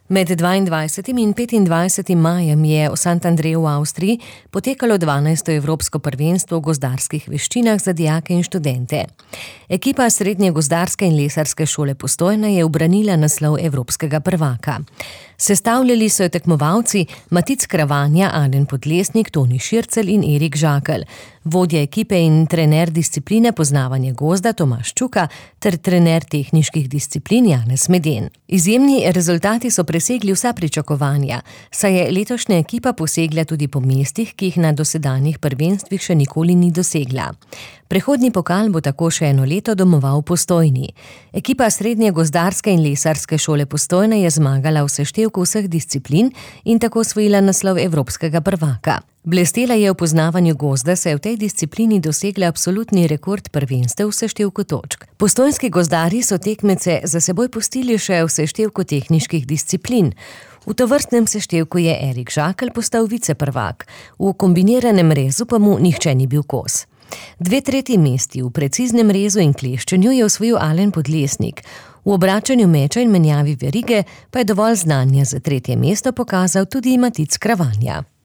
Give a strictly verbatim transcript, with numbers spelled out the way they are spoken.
Med dvaindvajsetim in petindvajsetim majem je v Sant'Andreju v Avstriji potekalo dvanajsto evropsko prvenstvo v gozdarskih veščinah za dijake in študente. Ekipa Srednje gozdarske in lesarske šole Postojna je ubranila naslov evropskega prvaka. Sestavljali so jo tekmovalci Matic Kravanja, Alen Podlesnik, Toni Šircelj in Erik Žakelj, vodja ekipe in trener discipline poznavanje gozda Tomaž Čuka ter trener tehniških disciplin Janez Meden. Izjemni rezultati so presegli vsa pričakovanja, saj je letošnja ekipa posegla tudi po mestih, ki jih na dosedanjih prvenstvih še nikoli ni dosegla. Prehodni pokal bo tako še eno leto domoval v Postojni. Ekipa Srednje gozdarske in lesarske šole Postojna je zmagala v seštevku vseh disciplin in tako osvojila naslov evropskega prvaka. Blestela je v poznavanju gozda, saj je v tej disciplini dosegla absolutni rekord prvenstev v seštevku točk. Postojnski gozdarji so tekmece za seboj pustili še v seštevku tehniških disciplin. V tovrstnem seštevku je Erik Žakelj postal viceprvak, v kombiniranem rezu pa mu nihče ni bil kos. Dve tretji mesti v preciznem rezu in kleščenju je osvojil Alen Podlesnik. V obračanju meča in menjavi verige pa je dovolj znanja za tretje mesto pokazal tudi Matic Kravanja.